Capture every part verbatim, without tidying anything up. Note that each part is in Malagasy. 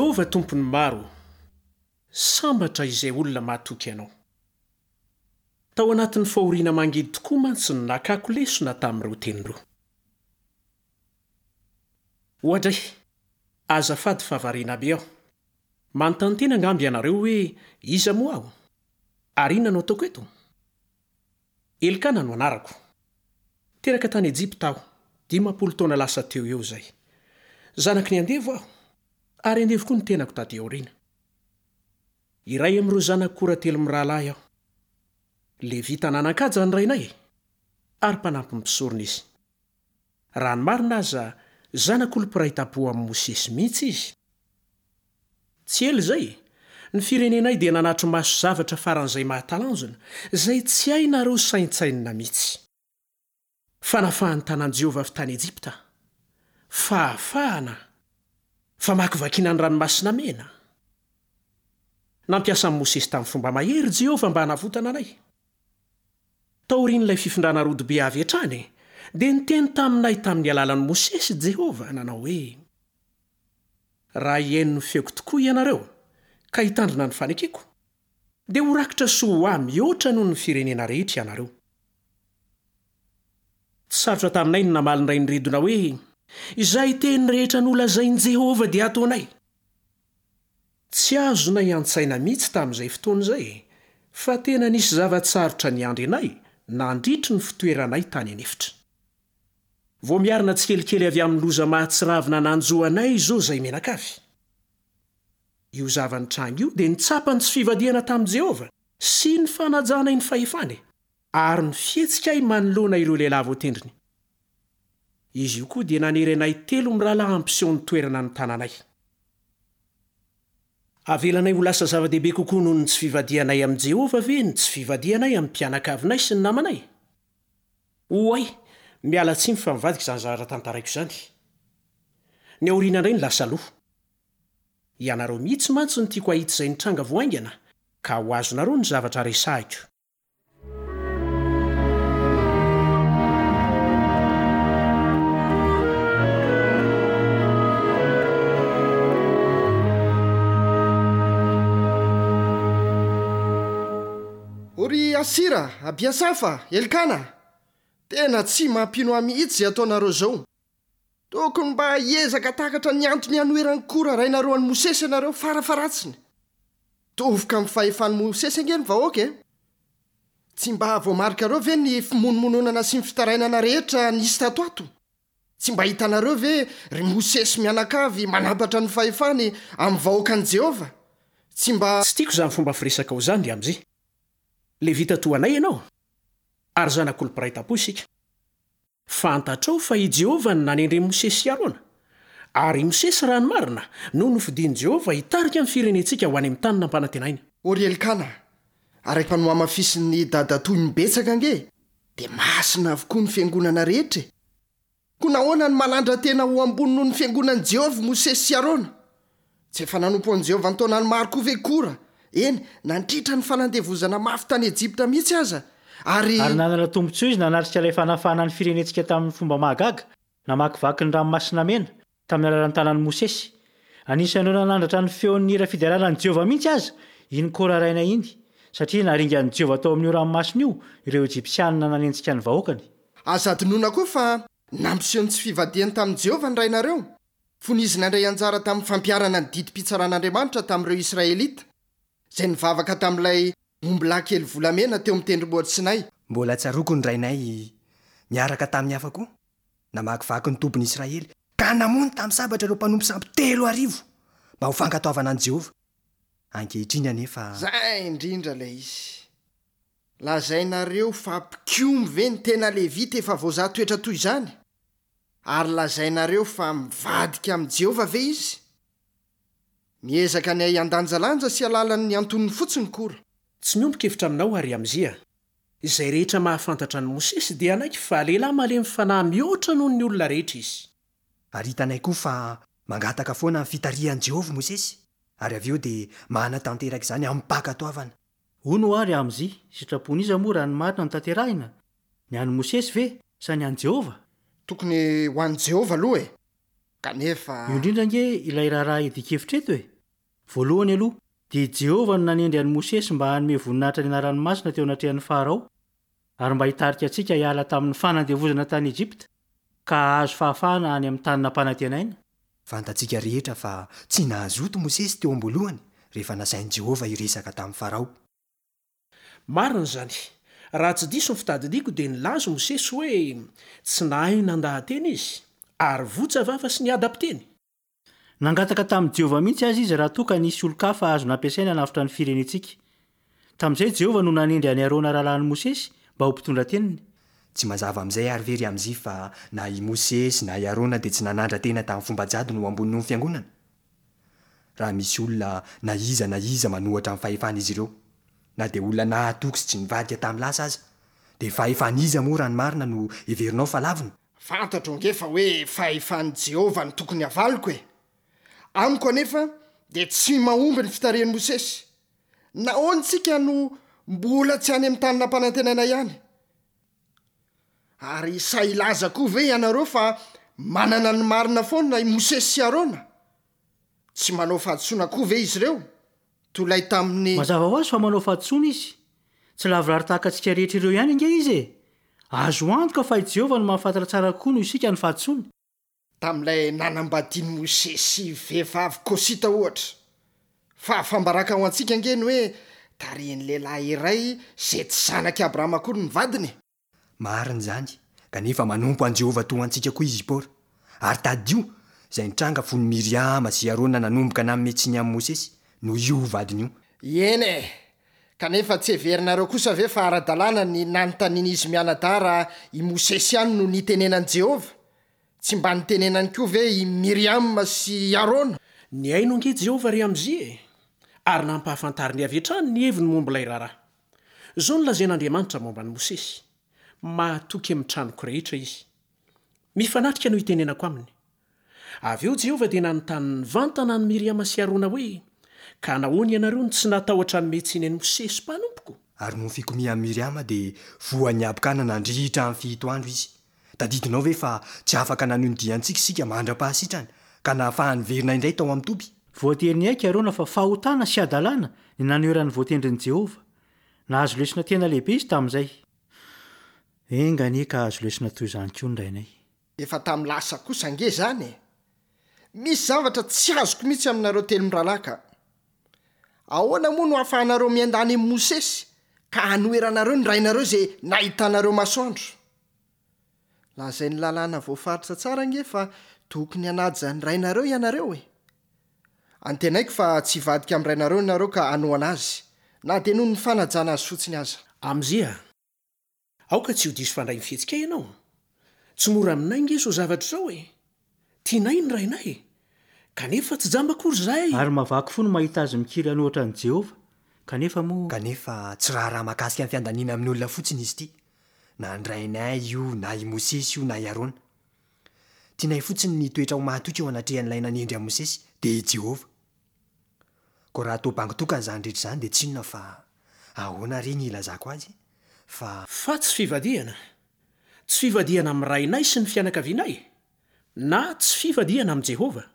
Jehovah Tompon'ny maro, sambatra izay olona mahatoky anao. Tao anatin'ny fahoriana mangidy tokoa mantsy no nakako lesona tamin'ireo teny ireo. Oadray, azafady fa variana be aho. Manontany tena angamba ianareo hoe iza moa aho? Ary inona no ataoko eto? Elkana no anarako. Teraka tany Ejipta aho, dimampolo taona lasa teo eo izay. Zanaky ny andevo aho, ary andevo koa ny tenako taty aoriana. Iray amin'ireo zanak'i Kora telo mirahalahy aho. Levita nanan-kaja ny rainay, ary mpanampy ny mpisorona izy. Raha ny marina aza, zanak'olo-mpiray tampo amin'i Mosesy mihitsy izy. Tsy ela izay, ny firenenay dia nanatri-maso zavatra faran'izay mahatalanjona, izay tsy hainareo saintsainina mihitsy. Fanafahan'ny tanan'i Jehovah avy tany Ejipta, fahafahana, famakivakiana ny ranomasina mena. Nampiasa an'i Mosesy tamin'ny fomba mahery Jehovah mba hanavotana anay. Taorian'ilay fifindrana rodobe avy hatrany, dia niteny taminay tamin'ny alalan'i Mosesy Jehovah, nanao hoe: Raha hihaino ny feoko tokoa ianareo, ka hitandrina ny fanekeko, dia ho rakitra soa ho ahy mihoatra noho ny firenena rehetra ianareo. Tsy sarotra taminay ny namaly ny rain'ny redona hoe: Izay teny rehetra nolazain'i Jehovah dia ataonay. Tsy azonay an-tsaina mihitsy tamin'izay fotoana izay, fa tena nisy zava-tsarotra niandry anay nandritry ny fitoeranay tany an'efitra. Vao miarina tsikelikely avy amin'ny loza mahatsiravina nanjo anay izao izay mianakavy. Io zava-nitranga io dia nitsapa ny tsy fivadihana tamin'i Jehovah sy ny fanajanay ny fahefany, ary ny fihetsikay manoloana ireo lehilahy voatendriny. Izy io koa dia nanery anay telo mirahalahy hampiseho ny toerana ny tananay. Avelanay ho lasa zava-dehibe kokoa noho ny tsy fivadihanay amin'i Jehovah ve ny tsy fivadihanay amin'ny mpianakavinay sy ny namanay? Oay, miala tsiny fa mivadika izany zavatra tantaraiko izany. Ny aoriana indray no lasa aloha. Ianareo mihitsy mantsy no tiako hahita izay nitranga vao haingana, ka ho azonareo ny zavatra resahiko. O ry Asira, Abiasafa, Elkana, tena tsy mampino ahy mihitsy izay ataonareo izao. Tokony mba hiezaka takatra ny antony hanoheran'i Kora rainareo an'i Mosesy ianareo farafaharatsiny. Tovoka amin'ny fahefan'i Mosesy ange ny vahoaka e. Tsy mba voamarikareo ve ny fimonomononana sy ny fitarainana rehetra nisy tato ato? Tsy mba hitanareo ve ry Mosesy mianakavy manampatra ny fahefany amin'ny vahoakan'i Jehovah? Tsy mba... Tsy tiako izany fomba firesakao izany, ry Amzi. Levita toa anay ianao, ary zanak'olo-mpiray tampo isika. Fantatrao fa i Jehovah no nanendry Mosesy sy Arona, ary i Mosesy raha ny marina no nofidin'i Jehovah hitarika ny firenentsika ho any amin'ny tany nampanantenaina. O ry Elkana, araka ny nohamafisin'ny dadatoa imbetsaka ange, dia masina avokoa ny fiangonana rehetra e. Koa nahoana no manandra-tena ho ambony noho ny fiangonan'i Jehovah Mosesy sy Arona? Tsy efa nanompo an'i Jehovah an-taonany maro koa ve Kora? Eny, nandritra ny fanandevozana mafy tany Ejipta mihitsy aza, ary... Ary nanana tombontsoa izy nanatrika ilay fanafahana ny firenentsika tamin'ny fomba mahagaga, namakivaky ny ranomasina mena, tamin'ny alalan'ny tanan'i Mosesy. Anisan'ireo nanandratra ny feon'ny hira fiderana an'i Jehovah mihitsy aza iny Kora rainay iny, satria naringan'i Jehovah tao amin'io ranomasina io ireo Ejipsianina nanenjika ny vahoakany. Aza adinoina koa fa nampiseho ny tsy fivadihany tamin'i Jehovah ny rainareo, fony izy nandray anjara tamin'ny fampiharana ny didim-pitsaran'Andriamanitra tamin'ireo Israelita, izay nivavaka tamin'ilay ombilahy kely volamena teo amin'ny tendrombohitra Sinay. Mbola tsaroako ny rainay niaraka tamin'ny hafa koa, namakivaky ny tobin'i Israely, ka namono tamin'ny sabatra ireo mpanompo sampy telo arivo mba ho fankatoavana an'i Jehovah. Ankehitriny anefa... Zay indrindra ilay izy. Lazainareo fa mpikomy ve ny tena Levita efa voazaha toetra toy izany? Ary lazainareo fa mivadika amin'i Jehovah ve izy? Miezaka ny hay handanjalanja sy alalan'ny antonony fotsiny Kora. Tsy miombon-kevitra aminao ary Amzia. Izay rehetra mahafantatra an'i Mosesy dia hanaiky fa lehilahy malemy fanahy mihoatra noho ny olona rehetra izy. Ary hitanay koa fa mangataka foana ny fitarihan'i Jehovah Mosesy, ary avy eo dia manatanteraka izany amim-pankatoavana. Hono ary Amzi, sitrapon'iza moa raha ny marina no tanterahina? Ny an'i Mosesy ve sa ny an'i Jehovah? Tokony ho an'i Jehovah aloha e. Kanefa... Io indrindra ange ilay raharaha iadian-kevitra eto e. Voalohany aloha, dia i Jehovah no nanendry an'i Mosesy mba hanome voninahitra ny anarany masina teo anatrehan'i Farao, ary mba hitarika antsika hiala tamin'ny fanandevozana tany Egypta, ka hahazo fahafahana any amin'ny tany nampanantenaina. Fantatsika rehetra fa tsy nahazoto Mosesy teo am-boalohany rehefa nasain'i Jehovah hiresaka tamin'i Farao. Marina izany. Raha tsy diso ny fitadidiako dia nilaza Mosesy hoe tsy nahay nandaha-teny izy, ary votsa vava sy niadam-piteny. Nangataka tamin'i Jehovah mihitsy aza izy raha toa ka nisy olon-kafa azo nampiasaina hanavotra ny firenentsika. Tamin'izay Jehovah no nanendry an'i Arona rahalahin'i Mosesy mba ho mpitondra teniny. Tsy mazava amin'izay àry ve ry Amzia fa na i Mosesy na i Arona dia tsy nanandra-tena tamin'ny fomba jadona ho ambony noho ny fiangonana? Raha misy olona na iza na iza manohatra ny fahefan'izy ireo, na dia olona nahatoky sy tsy nivadika tamin'ny lasa aza, dia fahefan'iza moa raha ny marina no heverinao fa lavina? Fantatro ange fa hoe fahefan'i Jehovah no tokony havaliko e! Amiko anefa dia tsy mahomby ny fitarihan'i Mosesy. Nahoana isika no mbola tsy any amin'ny tany nampanantenaina ihany? Ary sahy hilaza koa ve ianareo fa manana ny marina foana i Mosesy sy Arona? Tsy manao fahadisoana koa ve izy ireo, toy ilay tamin'ny. Mazava ho azy fa manao fahadisoana izy. Tsy lavorary tahaka antsika rehetra ireo ihany ange izy e! Azo antoka fa i Jehovah no mahafantatra tsara kokoa noho isika ny fahadisoany. Tamin'ilay nanambadian'i Mosesy vehivavy Kosita, ohatra. Fahafaham-baraka ho antsika ange ny hoe tarihin'ny lehilahy iray izay tsy zanak'i Abrahama akory ny vadiny e! Marina izany, kanefa manompo an'i Jehovah toa antsika koa i Zipora. Ary tadidio izay nitranga fony Miriama sy Arona nanomboka nanome tsiny an'i Mosesy, noho io vadiny io. Eny e! Kanefa tsy heverinareo kosa ve fa ara-dalàna ny nanontanian'izy mianadahy raha i Mosesy ihany no nitenenan'i Jehovah? Tsy mba nitenenany koa ve i Miriama sy i Arona? Nihaino ange Jehovah ry Amzia e! Ary nampahafantariny avy hatrany ny heviny momba ilay raharaha. Izao no lazain'Andriamanitra momba an'i Mosesy, Mahatoky amin'ny tranoko rehetra izy. Mifanatrika no itenenako aminy. Avy eo Jehovah dia nanontany nivantana an'i Miriama sy Arona hoe, Ka nahoana ianareo no tsy natahotra hanome tsiny an'i Mosesy mpanompoko? Ary noho ny fikomian'i Miriama dia voan'ny habokana nandritra ny fito andro izy. Tadidinao ve fa tsy afaka nanohy ny diantsika isika mandra-pahasitrany, ka nahafahany niverina indray tao amin'ny toby? Voatery niaiky Arona fa fahotana sy hadalana ny nanoheran'ny voatendrin'i Jehovah. Nahazo lesona tena lehibe izy tamin'izay. Enga anie ka hahazo lesona toy izany koa ny rainay. Efa tamin'ny lasa kosa ange izany e! Misy zavatra tsy azoko mihitsy aminareo telo mirahalahy ka! Ahoana moa no ahafahanareo miandany amin'i Mosesy ka hanoheranareo ny rainareo izay nahitanareo masoandro? Lazain'ny lalàna voafaritra tsara ange fa tokony hanaja ny rainareo ianareo e! Antenaiko fa tsy hivadika amin'ny rainareo ianareo ka hanohana azy, na dia noho ny fanajana azy fotsiny aza. Amzia, aoka tsy ho diso fandray ny fihetsikay ianao. Tsy mora aminay ange izao zavatra izao e! Tianay ny rainay, kanefa tsy jamba akory izahay. Ary mahavaky fo ny mahita azy mikiry hanohitra an'i Jehovah, kanefa moa. Kanefa tsy raharaha mahakasika ny fiandaniana amin'ny olona fotsiny izy ity, na ny rainay io, na i Mosesy io, na i Arona. Tianay fotsiny ny hitoetra ho mahatoky eo anatrehan'ilay nanendry an'i Mosesy, dia i Jehovah. Koa raha toa bango tokana izany rehetra izany, dia tsy inona fa, ahoana re ny hilazako azy? Fa. Fa tsy fivadihana. Tsy fivadihana amin'ny rainay sy ny fianakavianay, na tsy fivadihana amin'i Jehovah.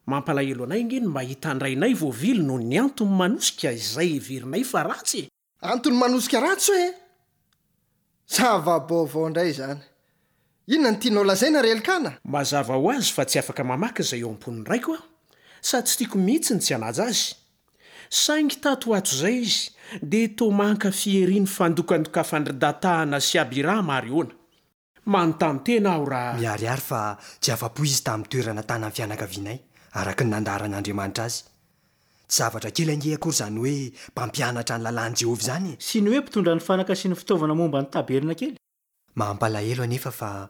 Mampalahelo anay ange ny mahita ny rainay voavily noho ny antony manosika izay heverinay fa ratsy e! Antony manosika ratsy hoe? Zava-baovao indray izany. Inona no tianao lazaina ry Elkana? Mazava ho azy fa tsy afaka mamaky izay eo am-pon'ny raiko aho, sady tsy tiako mihitsy ny tsy hanaja azy. Saingy tato ho ato izay izy dia toa mankafy ery ny fandokandokafan-dry Datana sy Abirama ary Ona. Manontany tena aho raha. Miharihary fa tsy afa-po izy tamin'ny toerana tanan'ny fianakavianay, araka ny nandaharan'Andriamanitra azy. Tsy zavatra kely ange akory izany hoe mpampianatra ny lalàn'i Jehovah izany e! Sy ny hoe mpitondra ny fanaka sy ny fitaovana momba ny tabernakely. Mampalahelo anefa fa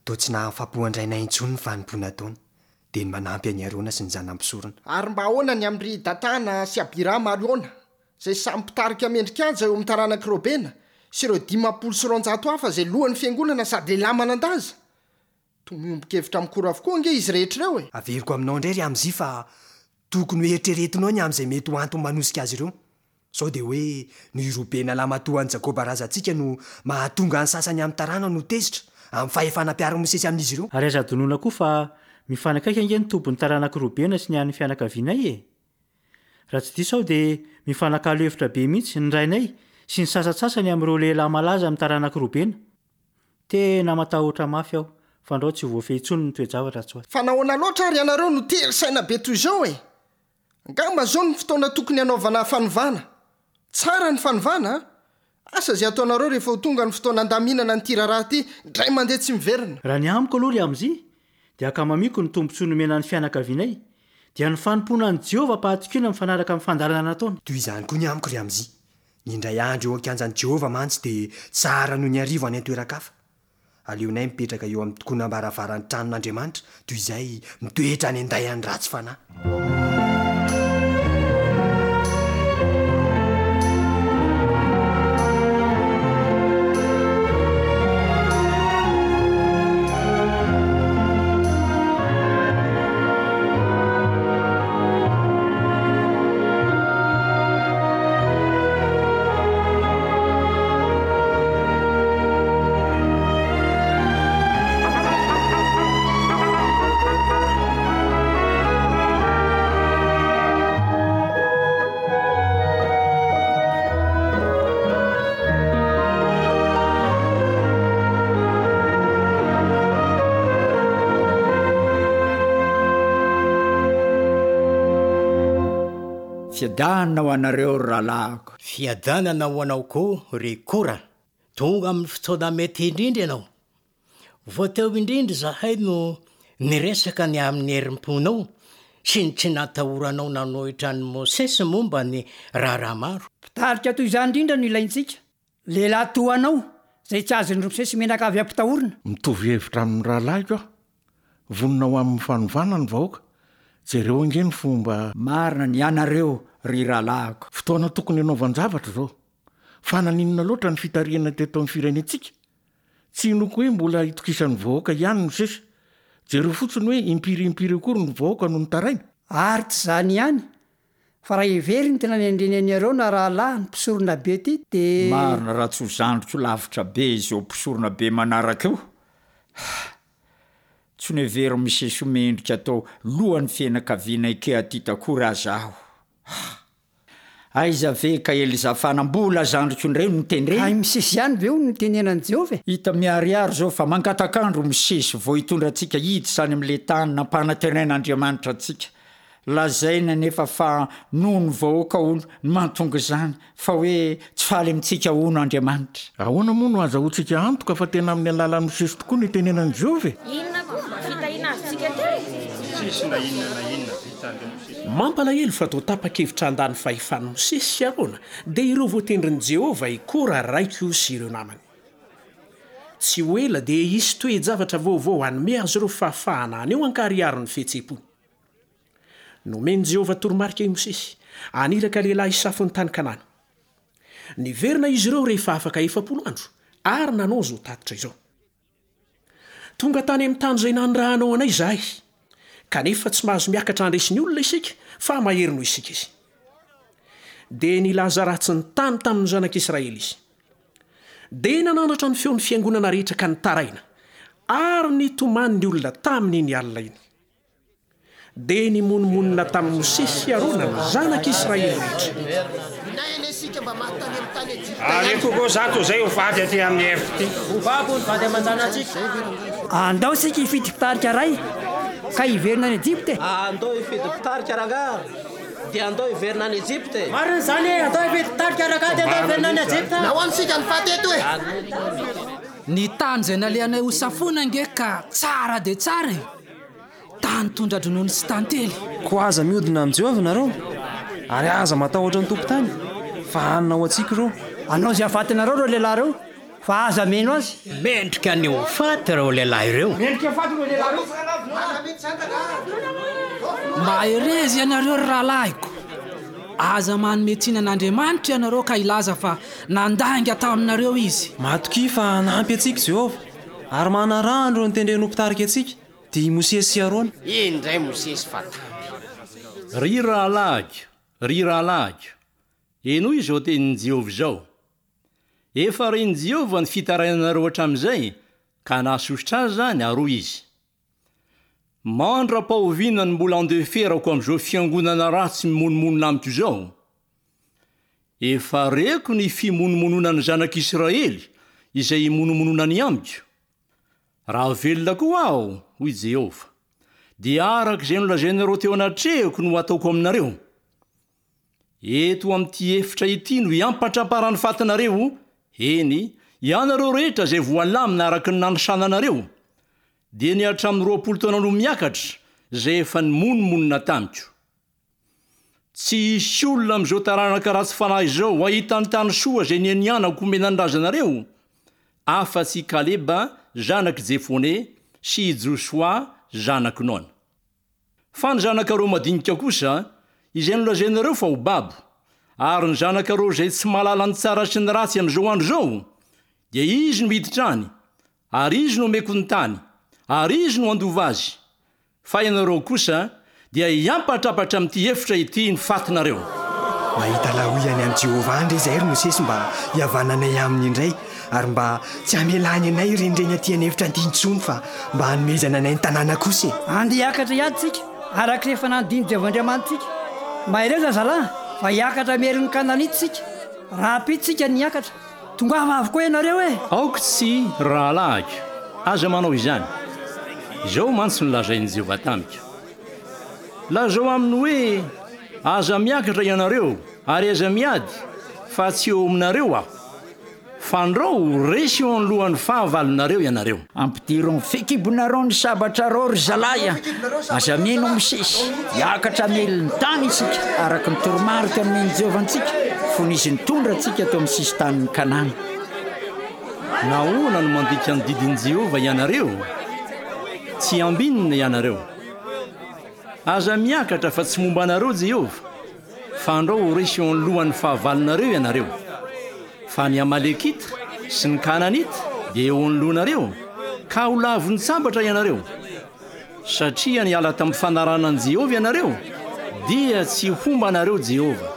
toa tsy nahafapo an-drainay intsony ny fanompoana ataony, dia ny manampy an'i Arona sy ny zanany mpisorona. Ary mba ahoana ny amin-dry Datana sy Abirama ary Ona, izay samy mpitarika mendri-kaja eo amin'ny taranak'i Robena, sy ireo dimampolo sy roanjato hafa izay lohan'ny fiangonana sady lehilahy manan-daza? Toa miombon-kevitra amin'i Kora avokoa ange izy rehetra ireo e! Averiko aminao indray ry Amzia fa tokony hoeritreretinao ny amin'izay mety ho antony manosika azy ireo. Sao dia hoe noho i Robena lahimatoa an'i Jakoba razantsika no mahatonga ny sasany amin'ny taranany ho tezitra amin'ny fahefana ampiharin'i Mosesy amin'izy ireo? Ary aza adinoina koa fa mifanakaiky ange ny tobin'ny taranak'i Robena sy ny an'ny fianakavianay e! Raha tsy diso aho dia mifanakalo hevitra be mihitsy ny rainay sy ny sasantsasany amin'ireo lehilahy malaza amin'ny taranak'i Robena. Tena matahotra mafy aho fandrao tsy voafehy intsony ny toe-javatra atsy ho atsy. Fa nahoana loatra ary ianareo no tery saina be toy izao e? Angamba izao no fotoana tokony hanaovana fanovana. Tsara ny fanovana a! Asa izay hataonareo rehefa ho tonga ny fotoana handaminana an'ity raharaha ity indray mandeha tsy miverina. Raha ny amiko aloha ry Amzi dia ankamamiako ny tombontsoa nomena ny fianakavianay, dia ny fanompoana an'i Jehovah am-pahatokiana mifanaraka amin'ny fandaharana nataony. Toy izany koa ny amiko ry Amzi. Ny indray andro eo an-kianjan'i Jehovah mantsy dia tsara noho ny arivo any an-toeran-kafa. Aleonay mipetraka eo amin'ny tokonam-baravaran'ny tranon'Andriamanitra toy izay mitoetra any an-daian'ny ratsy fanahy. Fiadanana ho anareo ry rahalahiko. Fiadanana ho anao koa ry Kora. Tonga amin'ny fotoana mety indrindra ianao. Vao teo indrindra izahay no niresaka ny amin'ny herim-ponao sy ny tsy natahoranao nanohitra an'i Mosesy momba ny raharaha maro. Mpitarika toy izany indrindra no ilaintsika. Lehilahy toa anao izay tsy azon'i Mosesy menaka avy ampitahorina. Mitovy hevitra amin'ny rahalahiko aho. Vonona ho amin'ny fanovana ny vahoaka. Jereo ange ny fomba. Marina ny anareo ry rahalahiko. Fotoana tokony hanaovan-javatra izao. Fa naninona loatra ny fitarihana teto amin'ny firenentsika? Tsy inoako hoe mbola itokisan'ny vahoaka ihany no sisa. Jereo fotsiny hoe impiry impiry akory ny vahoaka no nitaraina. Ary tsy izany ihany, fa raha heveriny ny tena nendreny an'i Arona rahalahy ny mpisorona be ity dia Marina raha tsy ho zandriko lavitra be izao mpisorona be manaraka io. Tsy noheverin'i Mosesy ho mendrika atao lohan'ny fianakaviana Kehatita akory aza aho. Aiza ve ka Elizafana mbola zandriko indray no notendreny? Ka i Mosesy ihany ve hono no tenenan'i Jehovah e? Hita miharihary izao fa mangatak'andro Mosesy vao hitondra antsika hiditra any amin'ilay tany nampanantenain'Andriamanitra antsika. Lazaina nefa fa noho ny vahoaka hono no mahatonga izany, fa hoe tsy faly amintsika hono Andriamanitra. Ahoana moa no azahoantsika antoka fa tena amin'ny alalan'i Mosesy tokoa no itenenan'i Jehovah e? Inona koa mba fitahiana azontsika teo e? Tsisy na inona na inona vitan-dry Mosesy. Mampalahelo fa toa tapa-kevitra handany fahefan'i Mosesy sy Arona, dia ireo voatendrin'i Jehovah i Kora raiko sy ireo namany. Tsy ho ela dia hisy toe-javatra vaovao hanome azy ireo fahafahana haneho ankarihary ny fihetseham-pony. Nomen'i Jehovah toromarika i Mosesy haniraka lehilahy hisafo ny tany Kanana. Niverina izy ireo rehefa afaka efapolo andro ary nanao izao tatitra izao. Tonga tany amin'ny tany izay nanirahanao anay izahay, kanefa tsy mahazo miakatra handresy ny olona isika fa mahery noho isika izy. Dia nilaza ratsy ny tany tamin'ny zanak'Israely izy. Dia nanandratra ny feon'ny fiangonana rehetra ka nitaraina, ary nitomany ny olona tamin'iny alina iny. Dia nimonomonona tamin'i Mosesy sy Arona ny zanak'Israely rehetra. Aleoko koa izaho toy izay ho faty aty amin'ny efitra ity. Ho babo ny vady aman-janatsika. Andao isika hifidy mpitarika iray ka hiverina any Ejipta e. Andao hifidy mpitarika rangahy dia andao hiverina any Ejipta e. Marina izany e, andao hifidy mpitarika rangahy dia andao hiverina any Ejipta. Nahoana isika no faty eto e? Ny tany izay nalehanay ho safoina ange ka tsara dia tsara e. Tany tondra-dronono sy tantely. Koa aza mihodina amin'i Jehovah nareo, ary aza matahotra ny tompon-tany, fa hanina ho antsika ireo. Hanao izay hahafatinareo ireo lehilahy ireo, fa aza mino azy. Mendrika ny ho faty ireo lehilahy ireo. Mendrika ho faty ireo lehilahy ireo. Mahereza ianareo ry rahalahiko. Aza manome tsiny an'Andriamanitra ianareo ka hilaza fa nandainga taminareo izy. Matokia fa hanampy antsika Jehovah, ary manaraha an'ireo notendreny ho mpitarika antsika, dia i Mosesy sy Arona. Indray Mosesy fa tamby. Ry rahalahiko, ry rahalahiko, henoy izao tenin'i Jehovah izao. Efa ren'i Jehovah ny fitarainanareo hatramin'izay, ka nahasosotra azy izany, ary hoy izy: Mandra-pahoviana no mbola andeferako amin'izao fiangonana ratsy mimonomonona amiko izao? Efa reko ny fimonomononan'ny zanak'Israely izay imonomononany amiko. Raha velona koa aho, hoy Jehovah, dia araka izay nolazainareo teo anatrehako no hataoko aminareo. Eto amin'ity efitra ity no hiampatramparan'ny fatinareo, eny, ianareo rehetra izay voalamina araka ny nanisana anareo, dia ny hatramin'ny roapolo taona no miakatra, izay efa nimonomonona tamiko. Tsy hisy olona amin'izao taranaka ratsy fanahy izao hahita ny tany soa izay nianianako homena ny razanareo, afa-tsy i Kaleba zanak'i Jefone sy i Josoa zanak'i Nona. Fa ny zanakareo madinika kosa, izay nolazainareo fa ho babo, ary ny zanakareo izay tsy mahalala ny tsara sy ny ratsy amin'izao andro izao, dia izy no hiditra any, ary izy no homeko ny tany, ary izy no handova azy. Fa ianareo kosa dia hiampatrapatra amin'ity efitra ity ny fatinareo. Mahita lahoy any amin'i Jehovah any re izahay, ry Mosesy, mba hihavananay aminy indray, ary mba tsy hamelany anay hirenireny aty an'efitra aty intsony, fa mba hanomezana anay ny tanàna kosa e! Andeha hiakatra hiady isika, araka izay efa nandidian'i Jehovah Andriamanitsika. Mahereza, zalahy, fa hiakatra hamery ny Kananita isika. Rahampitso isika no hiakatra. Tongava avokoa ianareo e! Aoka tsy, rahalahiko, aza manao izany. Izao mantsy no lazain'i Jehovah tamiko, Lazao aminy hoe, Aza miakatra ianareo, ary aza miady, fa tsy eo aminareo aho. Fandrao ho resy eo anoloan'ny fahavalonareo ianareo. Ampidiro amin'ny fekibonareo ny sabatrareo, ry zalahy a! Aza mino Mosesy. Hiakatra hamely ny tany isika, araka ny toromarika nomen'i Jehovah antsika, fony izy nitondra antsika teo amin'ny sisin-tanin'i Kanana. Nahoana no mandika ny didin'i Jehovah ianareo? Tsy ambinina ianareo. Aza miakatra fa tsy momba anareo Jehovah, fandrao ho resy eo anoloan'ny fahavalonareo ianareo. Fa ny Amalekita sy ny Kananita dia eo anoloanareo, ka ho lavon-tsabatra ianareo. Satria niala tamin'ny fanarahana an'i Jehovah ianareo, dia tsy homba anareo Jehovah.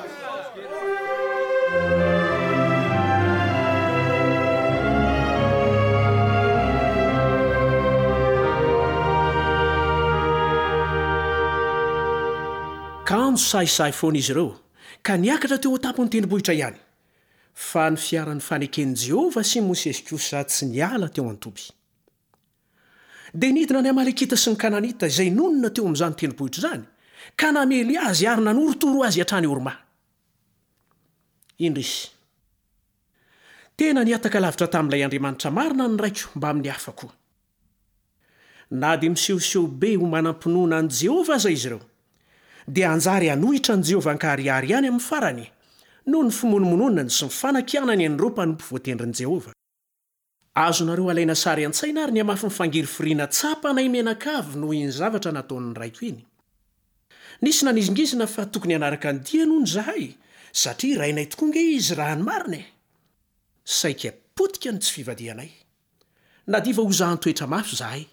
Kanjo sahisahy foana izy ireo, ka niakatra teo an-tampon'ny tendrombohitra ihany. Fa ny fiaran'ny faneken'i Jehovah sy Mosesy kosa tsy niala teo an-toby. Dia nidina ny Amalekita sy ny Kananita izay nonina teo amin'izany tendrombohitra izany, ka namely azy ary nanorotoro azy hatrany Horma. Indrisy! Tena nihataka lavitra tamin'ilay Andriamanitra marina ny raiko mbamin'ny hafa koa. Na dia misehoseho be ho manam-pinoana an'i Jehovah aza izy ireo, dia hanjary hanohitra an'i Jehovah an-karihary ihany amin'ny farany, noho ny fimonomononany sy ny fanakianany an'ireo mpanompo voatendrin'i Jehovah. Azonareo alaina sary an-tsaina àry ny hamafin'ny fangirifiriana tsapanay mianakavy noho iny zavatra nataon'ny raiko iny. Nisy nanizingizina fa tokony hanaraka ny diany hono izahay, satria rainay tokoa ange izy raha ny marina e! Saika potika ny tsy fivadihanay. Nadiva hozahan-toetra mafy izahay.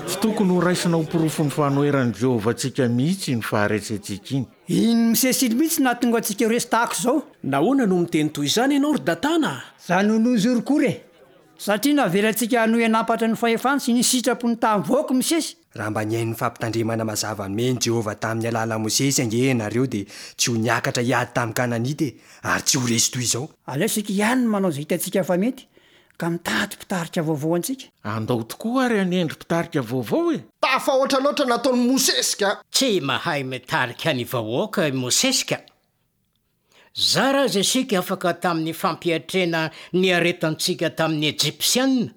Tsy tokony horaisina ho porofon'ny fanoheran'i Jehovah antsika mihitsy iny faharesentsika iny. Iny Mosesy iny mihitsy no nahatonga antsika ho resy tahaka izao. Nahoana no miteny toy izany ianao, ry Datana? Za no nozoro koa re! Satria navelantsika hanohy hanampatra ny fahefany sy ny sitrapony tamin'ny vahoaka i Mosesy. Raha mba nihaino ny fampitandremana mazava nomen'i Jehovah tamin'ny alalan'i Mosesy ange ianareo, dia tsy ho niakatra hiady tamin'ny Kananita e, ary tsy ho resy toy izao. Aleo isika ihany no manao izay hitantsika fa mety, ka mitady mpitarika vaovao antsika. Andao tokoa ary hanendry mpitarika vaovao e! Tafahoatra loatra nataon'i Mosesy ka! Tsy mahay mitarika ny vahoaka i Mosesy ka! Zara aza isika afaka tamin'ny fampiatrena niaretantsika tamin'ny Ejipsiana,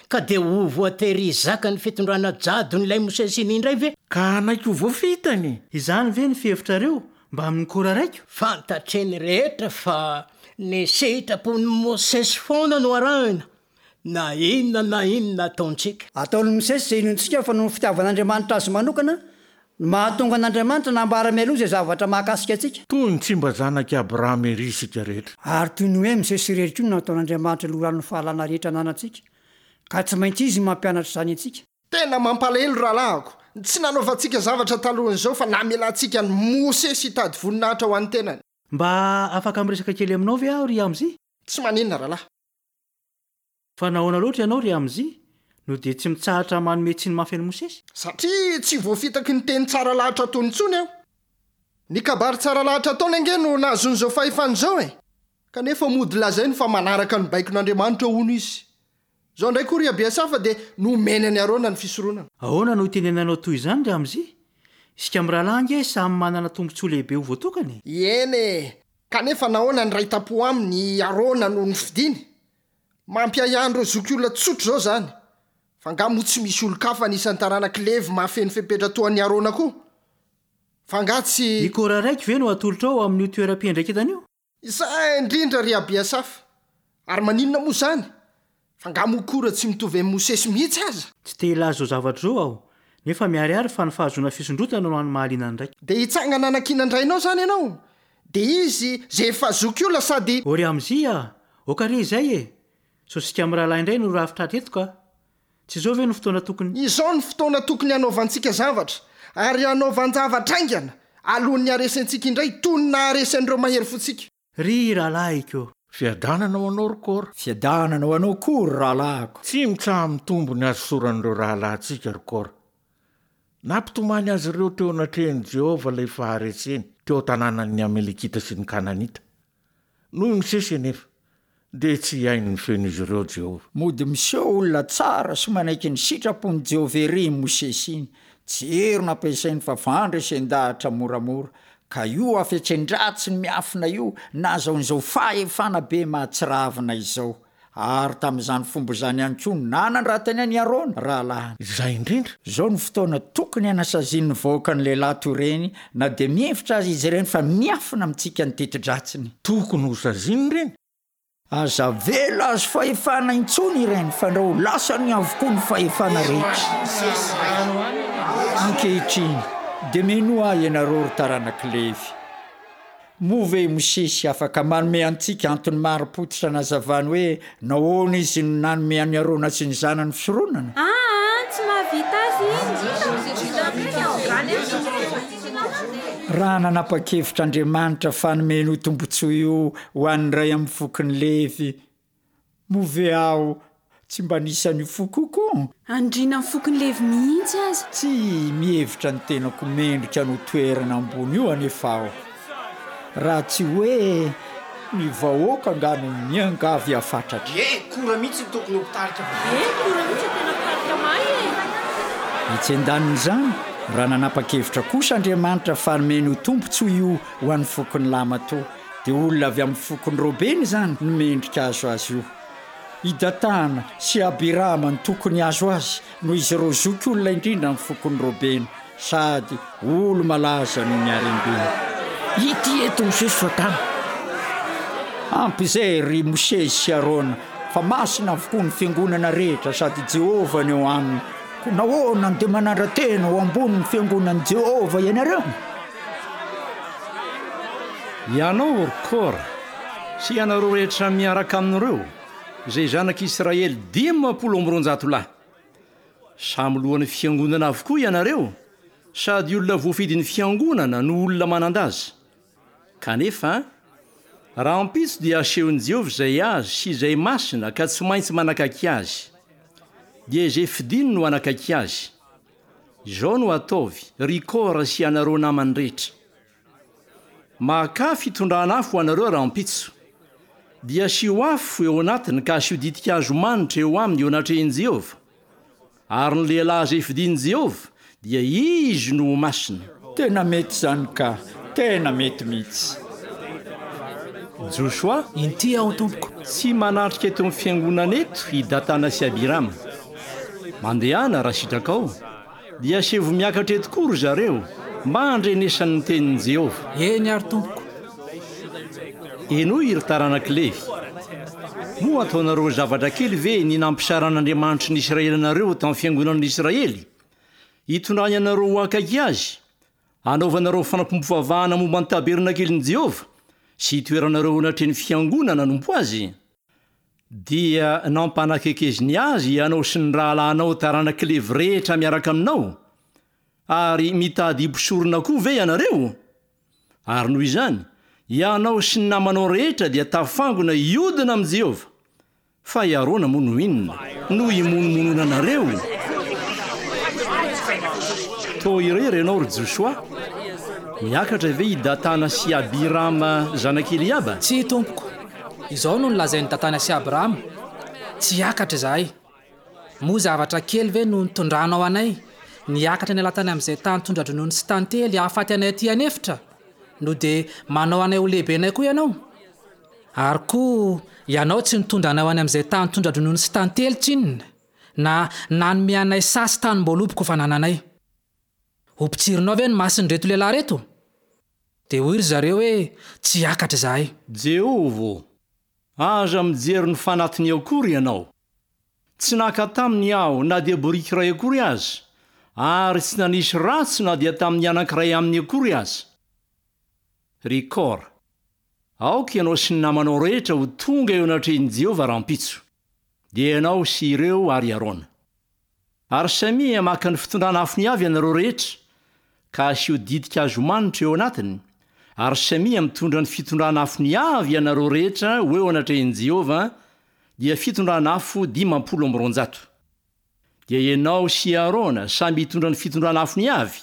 ka dia ho voatery hizaka ny fitondrana jadon'ilay Mosesy iny indray ve? Ka hanaiky ho voafitany? Izany ve ny fihevitrareo mbamin'ny Kora raiko? Fantatry ny rehetra fa ny sitrapon'i Mosesy foana no arahina, na inona na inona ataontsika. Ataon'i Mosesy izay inoantsika fa noho ny fitiavan'Andriamanitra azy manokana no mahatonga an'Andriamanitra nambara mialoha izay zavatra mahakasika antsika. Toy ny tsy mba zanak'i Abrahama ery isika rehetra. Ary toy ny hoe Mosesy irery koa no nataon'Andriamanitra loharanon'ny fahalalana rehetra ananantsika, ka tsy maintsy izy no mampianatra izany antsika. Tena mampalahelo rahalahiko, ny tsy nanaovantsika zavatra talohan'izao fa namelantsika an'i Mosesy hitady voninahitra ho an'ny tenany. Mba afaka miresaka kely aminao ve aho, ry Amzi? Tsy maninona, rahalahy. Fa nahoana loatra ianao, ry Amzi, no dia tsy mitsahatra manome tsiny mafy an'i Mosesy? Satria tsy voafitaky ny teny tsara lahatra ataony intsony aho. Ny kabary tsara lahatra ataony ange no nahazoany izao fahefana izao e! Kanefa mody lazainy fa manaraka ny baikon'Andriamanitra hono izy. Izao indray koa ry Abiasafa dia nomeny an'i Arona ny fisoronana. Ahoana no itenenanao toy izany, ry Amzi? Isika mirahalahy ange samy manana tombontsoa lehibe ho voatokana e! Eny e! Kanefa nahoana ny iray tam-po aminy i Arona no nofidiny? Mampiahiahy an'ireo zokiolona tsotra izao izany. Fa angaha moa tsy misy olon-kafa anisan'ny taranak'i Levy mahafeno fepetra toa an'i Arona koa? Fa angaha tsy. I Kora raiko ve no atolotrao amin'io toeram-piandraiketana io? Izay indrindra ry Abiasafa! Ary maninona moa izany? Fa angaha moa Kora tsy mitovy amin'i Mosesy mihitsy aza? Tsy te hilaza izao zavatra izao aho, nefa miharihary fa ny fahazoana fisondrotana no hany mahaliana ny raiko. Dia hitsangana hanakiana an-drainao izany ianao? Dia izy izay efa zokiolona sady. O ry Amzia a! Aoka re izay e! Sao isika mirahalahy indray no rafitra hatreto ka! Tsy izao ve no fotoana tokony. Izao no fotoana tokony hanaovantsika zavatra, ary hanaovan-javatra haingana, alohan'ny haharesentsika indray toy ny naharesy an'ireo mahery fontsika. Ry rahalahiko! Fiadanana ho anao, ry Kora. Fiadanana ho anao koa, ry rahalahiko. Tsy mitsaha-mitombo ny hasosoran'ireo rahalahintsika, ry Kora. Nampitomany azy ireo teo anatrehan'i Jehovah ilay fahareseny teo an-tanànan'ny Amalekita sy ny Kananita. Noho i Mosesy anefa, dia tsy hihaino ny feon'izy ireo Jehovah. Mody miseho olona tsara sy manaiky ny sitrapon'i Jehovah ery i Mosesy iny. Tsy hery no ampiasainy fa fandresen-dahatra moramora. Ka io hafetsen-dratsiny miafina io nahazahoany izao fahefana be mahatsiravina izao. Ary tamin'izany fomba izany ihany koa no nanandratany an'i Arona, rahalahiny. Izay indrindra. Izao no fotoana tokony hanasazian'ny vahoaka ny lehilahy toy ireny, na dia mihevitra aza izy ireny fa miafina amintsika ny teti-dratsiny. Tokony hosaziana ireny. Aza avela azo fahefana intsony ireny, fandrao ho lasany avokoa ny fahefana rehetra. Ankehitriny, dia minoa ahy ianareo, ry taranak'i Levy. Moa ve i Mosesy afaka manome antsika antony marim-pototra hanazavany hoe nahoana izy no nanome an'i Arona sy ny zanany fisoronana? Aa, tsy mahavita azy iny. Raha nanapa-kevitra Andriamanitra fa hanome an'io tombontsoa io ho an'ny iray amin'ny fokon'i Levy, moa ve aho tsy mba anisan'io foko io koa? Andriana amin'ny fokon'i Levy mihitsy aza. Tsy mihevitra ny tenako mendrika an'io toerana ambony io anefa aho. Raha tsy hoe ny vahoaka angaha no miangavy hafatratra. Ye, Kora mihitsy no tokony ho mpitarika. Ye, Kora mihitsy no tena mpitarika mahay e! Etsy an-danin'izany, raha nanapa-kevitra kosa Andriamanitra fa hanome an'io tombontsoa io ho an'ny fokon'i Lahimatoa, dia olona avy amin'ny fokon'i Robena izany no mendrika hahazo azy io. I Datana sy Abirama no tokony hahazo azy, noho izy ireo zokiolona indrindra amin'ny fokon'i Robena, sady olo-malaza noho ny harem-beny. Ity eto Mosesy fa tany. Ampy izay, ry Mosesy sy Arona, fa masina avokoa ny fiangonana rehetra sady Jehovah no eo aminy. Koa nahoana no dia manandra-tena ho ambonin'ny fiangonan'i Jehovah ianareo? Ianao, ry Kora, sy ianareo rehetra miaraka amin'ireo, izay zanak'Israely dimampolo amby roanjato lahy. Samy lohan'ny fiangonana avokoa ianareo, sady olona voafidin'ny fiangonana no olona manan-daza. Kanefa, rahampitso dia asehon'i Jehovah izay azy sy izay masina ka tsy maintsy manakaiky azy. Dia izay fidiny no hanakaiky azy. Izao no ataovy, ry Kora sy ianareo namany rehetra. Makà fitondrana afo ho anareo rahampitso. Dia asio afo eo anatiny ka asio ditin-kazo manitra eo aminy eo anatrehan'i Jehovah. Ary ny lehilahy izay fidin'i Jehovah, dia izy no ho masina. Tena mety izany ka! Tena mety mihitsy! Josoa? Inty aho, tompoko. Tsy manatrika eto amin'ny fiangonana eto i Datana sy Abirama. Mandehana raha sitrakao, dia asevo miakatra eto koa ry zareo mba handrenesany ny tenin'i Jehovah. Eny àry, tompoko. Henoy, ry taranak'i Levy. Moa ataonareo zavatra kely ve ny nampisaran'Andriamanitry ny Israely anareo tamin'ny fiangonan'ny Israely, hitondrany anareo ho akaiky azy, hanaovanareo fanompoam-pivavahana momba ny tabernakelin'i Jehovah sy hitoeranareo anatrehan'ny fiangonana hanompo azy? Dia nampanakekeziny azy ianao sy ny rahalahinao taranak'i Levy rehetra miaraka aminao. Ary mitady mpisorona koa ve ianareo? Ary noho izany, ianao sy ny namanao rehetra dia tafangona hiodina amin'i Jehovah. Fa i Arona moa no inona no imonomononanareo? Toa irery ianao, ry Josoa. Miakatra ve i Datana sy Abirama zanak'i Eliaba? Tsia, tompoko. Izao no nolazain'i Datana sy Abirama, Tsy hiakatra izahay. Moa zavatra kely ve no nitondranao anay, niakatra niala tany amin'izay tany tondra-dronono sy tantely hahafaty anay aty an'efitra? No dia manao anay ho lehibenay koa ianao? Ary koa ianao tsy nitondra anay ho any amin'izay tany tondra-dronono sy tantely tsinona, na nanome anay saha sy tanim-boaloboka ho fanananay. Ho mpitsirinao ve ny mason'ireto lehilahy ireto? Dia hoy ry zareo hoe, Tsy hiakatra izahay. Jehovah ô, aza mijery ny fanatiny akory ianao. Tsy naka taminy aho na dia boriky iray akory aza, ary tsy nanisy ratsy na dia tamin'ny anankiray aminy akory aza. Ry Kora, aoka ianao sy ny namanao rehetra ho tonga eo anatrehan'i Jehovah rahampitso, dia ianao sy ireo ary Arona. Ary samia maka ny fitondrana afony avy ianareo rehetra, ka asio ditin-kazo manitra eo anatiny, ary samia mitondra ny fitondrana afony avy ianareo rehetra ho eo anatrehan'i Jehovah, dia fitondrana afo dimampolo amby roanjato. Dia ianao sy Arona samy hitondra ny fitondrana afony avy,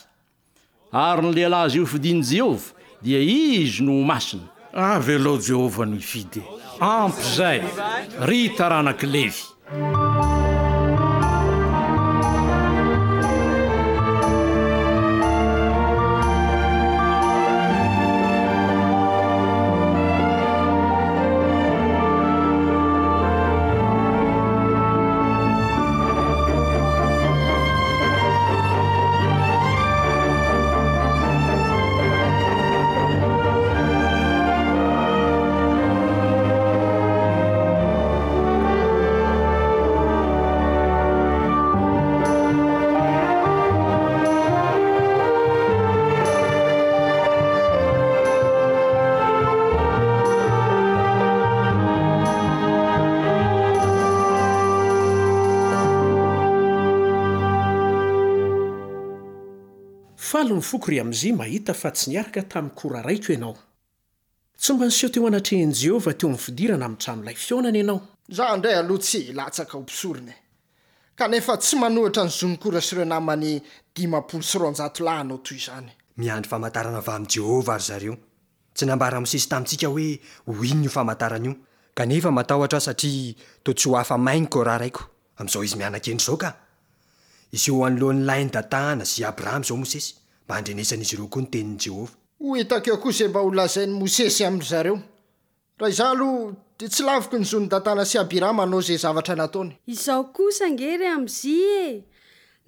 ary ny lehilahy izay hofidin'i Jehovah, dia izy no ho masina. Avelao Jehovah no hifidy e! Ampy izay, ry taranak'i Levy! Faly ny foko ry Amzia mahita fa tsy niaraka tamin'i Kora raiko ianao. Tsy mba niseho teo anatrehan'i Jehovah teo amin'ny fidirana amin'ny tranolay fihaonana ianao. Izaho indray aloha tsy hilatsaka ho mpisorona e! Kanefa tsy manohitra ny zon'i Kora sy ireo namany dimampolo sy roanjato lahy hanao toy izany. Miandry famantarana avy amin'i Jehovah ry zareo. Tsy nambaran'i Mosesy tamintsika hoe ho inona io famantarana io. Kanefa matahotra aho satria toa tsy ho afa-may ny Kora raiko, amin'izao izy miana-kendry izao ka! Hiseho anoloan'ny lahin'i Datana sy Abrahama izao Mosesy, mba handrenesan'izy ireo koa ny tenin'i Jehovah. Ho hitako eo koa izay mba holazain'i Mosesy amin-dry zareo. Raha izaho aloha, dia tsy laviko ny zon'i Datana sy Abirama hanao izay zavatra nataony. Izao kosa ange ry Amzia e!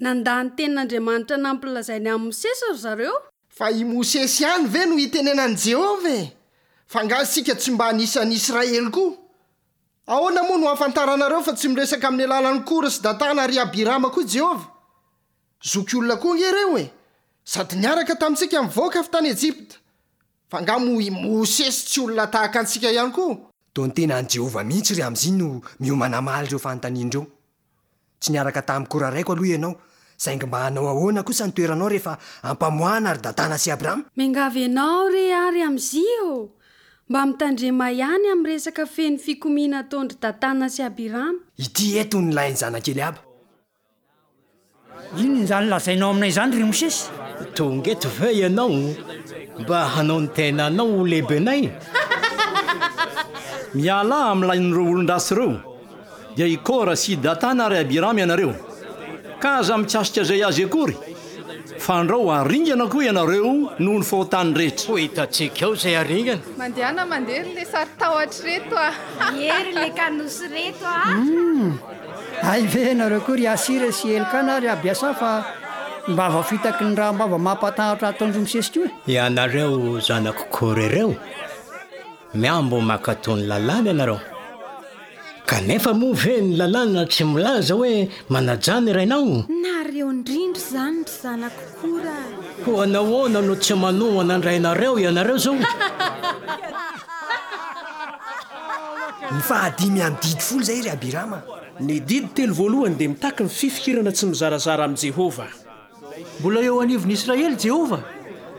Nandà ny tenin'Andriamanitra nampilazainy an'i Mosesy ry zareo. Fa i Mosesy ihany ve no itenenan'i Jehovah e? Fa angaha isika tsy mba anisan'ny Israely koa? Ahoana moa no ahafantaranareo fa tsy miresaka amin'ny alalan'i Kora sy Datana ary Abirama koa i Jehovah? Zokiolona koa ange ireo e! Sady niaraka tamintsika nivoaka avy tany Ejipta. Fa angaha moa i Mosesy tsy olona tahaka antsika ihany koa? Toa ny tena an'i Jehovah mihitsy ry Amzia no miomana hamaly ireo fanontaniana ireo. Tsy niaraka tamin'i Kora raiko aloha ianao, saingy mba hanao ahoana kosa ny toeranao rehefa ampamoahana ry Datana sy Abrama? Miangavy anao re aho ry Amzia ô! Mba mitandrema ihany amin'ny resaka feno fikomiana ataon-dry Datana sy Abirama. Ity eto ny lahin'ny zanak'i Eliaba. Inona izany lazainao aminay izany, ry Mosesy? Tonga eto ve ianao mba hanao ny tenanao ho lehibenay? Mialà amin'ny lahin'ireo olon-dratsy ireo, dia i Kora sy i Datana ary Abirama ianareo, ka aza mikasika izay azy akory, fandrao haringana koa ianareo noho ny fahotany rehetra. Ho hitantsika eo izay haringana. Mandehana mandeha ry le saro-tahotra reto a! Ie ry le kanosa reto a! Humm! Hay ve ianareo koa ry Asira sy Elkana ary Abiasafa mba voafitaky ny raham-bava mampatahotra ataon-dry Mosesy koa e? Ianareo zanak'i Kore ireo, mihambo mankatò ny lalàna ianareo. Kanefa moa ve ny lalàna tsy milaza hoe manajà ny rainao? Nareo indrindra izany ry zanak'i Kora a! Koa nahoana no tsy manohana ny rainareo ianareo izao? Ny fahadimy amin'ny didy folo izay ry Abirama. Ny didy telo voalohany dia mitaky ny fifikirana tsy mizarazara amin'i Jehovah. Mbola eo anivon'ny Israely Jehovah.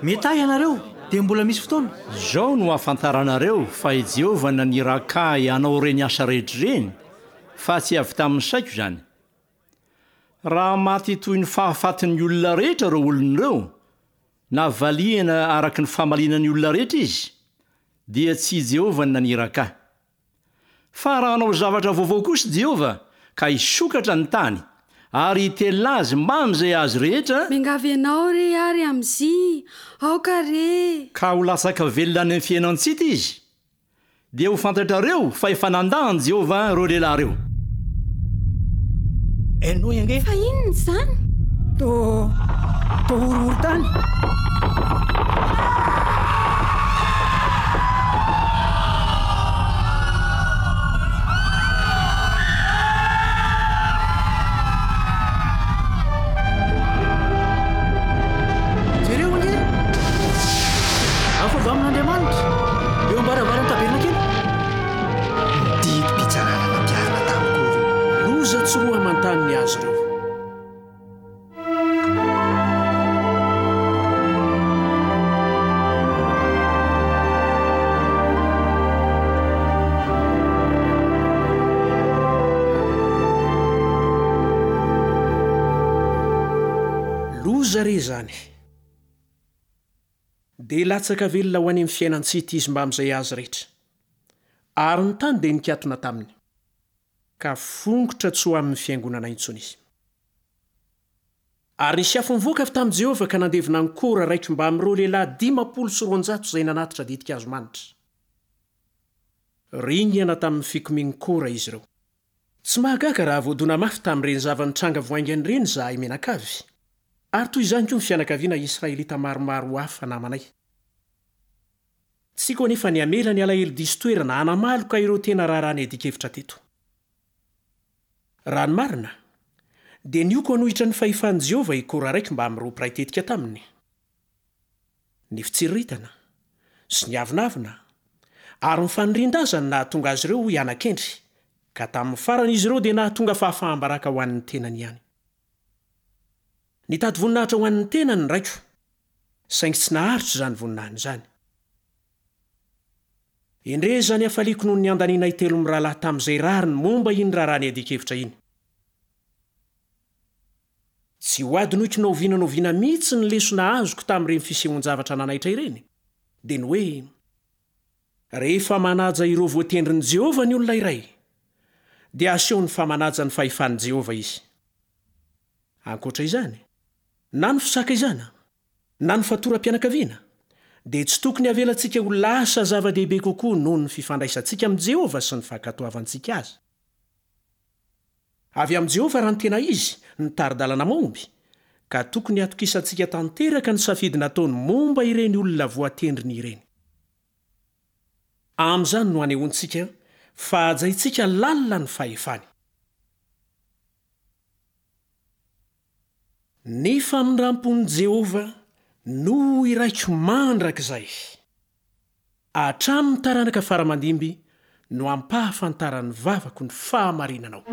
Metaha ianareo, dia mbola misy fotoana. Izao no ahafantaranareo fa i Jehovah naniraka ahy hanao ireny asa rehetra ireny, fa tsy avy tamin'ny saiko izany. Raha maty toy ny fahafatin'ny olona rehetra ireo olona ireo, na valiana araka ny famaliana ny olona rehetra izy, dia tsy i Jehovah no naniraka ahy. Fa raha hanao zavatra vaovao kosa i Jehovah, ka hisokatra ny tany, ary hitelina azy mbamin'izay azy rehetra, Miangavy anao re ary amin'zy, aoka re! Ka ho latsaka velona any amin'ny fiainan-tsita izy, dia ho fantatrareo fa efa nandà an'i Jehovah ireo lehilahy ireo. Henoy ange! Fa inona izany? Toa, toa horohorontany. Jereo ange! Afo avy amin'Andriamanitra, eo am-baravaran'ny tabernakely. Ny didim-pitsarana nampiharina tamiko ireo. Loza tsy roa aman-tany ny azy ireo. Loza re izany! Dia latsaka velona ho any amin'ny fiainan-tsy hita izy mbamin'izay azy rehetra. Ary ny tany dia nikatona taminy, ka fongotra tsy ho amin'ny fiangonana intsony izy. Ary nisy afo nivoaka avy tamin'i Jehovah ka nandevona an'i Kora raiko mbamin'ireo lehilahy dimampolo sy roanjato izay nanatitra ditin-kazo manitra. Ringana tamin'ny fikomian'i Kora izy ireo. Tsy mahagaga raha voadona mafy tamin'ireny zava-nitranga vao haingana ireny izahay mianakavy, ary toy izany koa ny fianakaviana israelita maromaro hafa namanay. Tsy tiako anefa ny hamela ny alahelo diso toerana hanamaloka ireo tena raharaha niadian-kevitra teto. Raha ny marina, dia nioko hanohitra ny fahefan'i Jehovah i Kora raiko mbamin'ireo mpiray tetika taminy. Ny fitsiriritana sy ny avonavona ary ny fanirian-daza no nahatonga azy ireo hiana-kendry, ka tamin'ny farany izy ireo dia nahatonga fahafaham-baraka ho an'ny tenany ihany. Nitady voninahitra ho an'ny tenany ny raiko, saingy tsy naharitra izany voninahiny izany. Endrey izany hafaliako noho ny andaninay telo mirahalahy tamin'izay rariny momba iny raharaha niadian-kevitra iny. Tsy ho adinoiko na oviana na oviana mihitsy ny lesona azoko tamin'ireny fisehoan-javatra nanaitra ireny, dia ny hoe rehefa manaja ireo voatendrin'i Jehovah ny olona iray, dia asehony fa manaja ny fahefan'i Jehovah izy. Ankoatra izany, na ny fisakaizana, na ny fatoram-pianakaviana, dia tsy tokony havelantsika ho lasa zava-dehibe kokoa noho ny fifandraisantsika amin'i Jehovah sy ny fankatoavantsika azy. Avy amin'i Jehovah raha ny tena izy ny tari-dalana mahomby, ka tokony hatokisantsika tanteraka ny safidy nataony momba ireny olona voatendriny ireny. Amin'izany no anehoantsika fa hajaintsika lalina ny fahefany. Ny famindram-pon'i Jehovah no iraiko mandrakizay. Hatramin'ny taranaka faramandimby no ampahafantaran'ny vavako ny fahamarinanao.